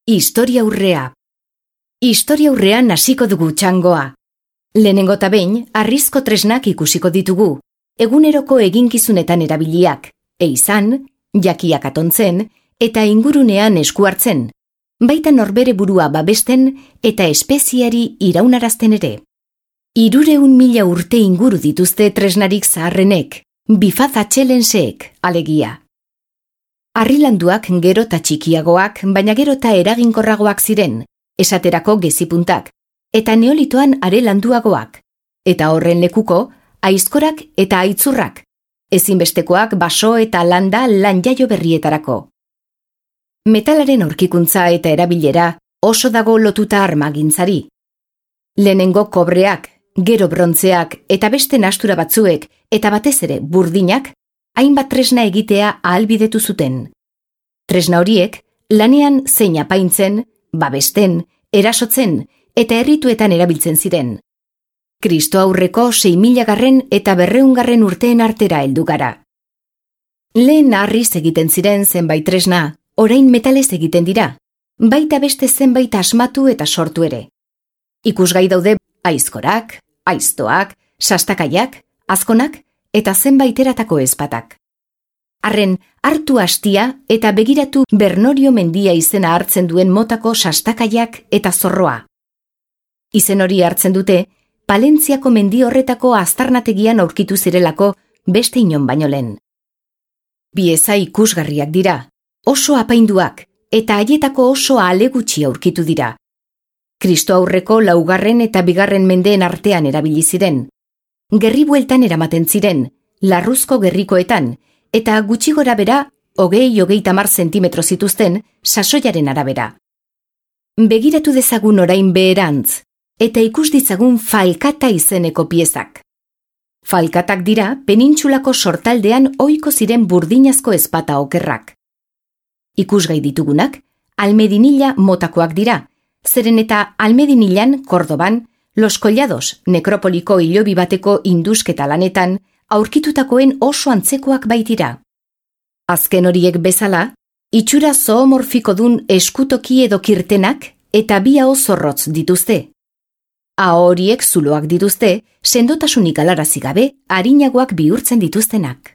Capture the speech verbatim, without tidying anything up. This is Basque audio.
Historiaurrea. Historiaurrean hasiko dugu txangoa. Lehenengo ta behin, harrizko tresnak ikusiko ditugu, eguneroko eginkizunetan erabiliak, eizan, jakiak atontzen eta ingurunean esku hartzen, baita norbere burua babesten eta espeziari iraunarazten ere. Hirureun mila urte inguru dituzte tresnarik zaharrenek, bifaz atxelenseek, alegia. Harrilanduak gero ta txikiagoak, baina gero ta eraginkorragoak ziren, esaterako gezipuntak, eta neolitoan are landuagoak, eta horren lekuko, aizkorak eta aitzurrak, ezinbestekoak baso eta landa lan jaio berrietarako. Metalaren aurkikuntza eta erabilera oso dago lotuta armagintzari. Lehenengo kobreak, gero brontzeak eta beste nastura batzuek eta batez ere burdinak, hainbat tresna egitea ahalbidetu zuten. Tresna horiek, lanean zein apaintzen, babesten, erasotzen eta errituetan erabiltzen ziren. Kristo aurreko sei milagarren eta berreungarren urteen artera heldu gara. Lehen harriz egiten ziren zenbait tresna, orain metalez egiten dira, baita beste zenbait asmatu eta sortu ere. Ikusgai daude aizkorak, aiztoak, sastakaiak, azkonak eta zenbait eratako ezpatak. Arren, hartu hastia eta begiratu Bernorio mendia izena hartzen duen motako sastakaiak eta zorroa. Izen hori hartzen dute, Palentziako mendi horretako aztarnategian aurkitu zirelako beste inon baino lehen. Bieza ikusgarriak dira, oso apainduak eta haietako oso alegutxi aurkitu dira. Kristo aurreko laugarren eta bigarren mendeen artean erabili ziren. Gerri bueltan eramaten ziren, larruzko gerrikoetan, eta gutxi gora bera, hogei hogeita hamar zentimetro zituzten, sasoiaren arabera. Begiratu dezagun orain beherantz, eta ikus ditzagun falkata izeneko piezak. Falkatak dira penintsulako sortaldean ohiko ziren burdinazko ezpata okerrak. Ikusgai ditugunak, almedinila motakoak dira, zeren eta almedinilan, Kordoban, Los Collados, nekropoliko hilobi bateko indusketa lanetan, aurkitutakoen oso antzekoak baitira. Azken horiek bezala, itxura zoomorfiko dun eskutoki edo kirtenak eta bi aho zorrotz dituzte. Aho horiek zuloak dituzte, sendotasunik galarazi gabe, arinagoak bihurtzen dituztenak.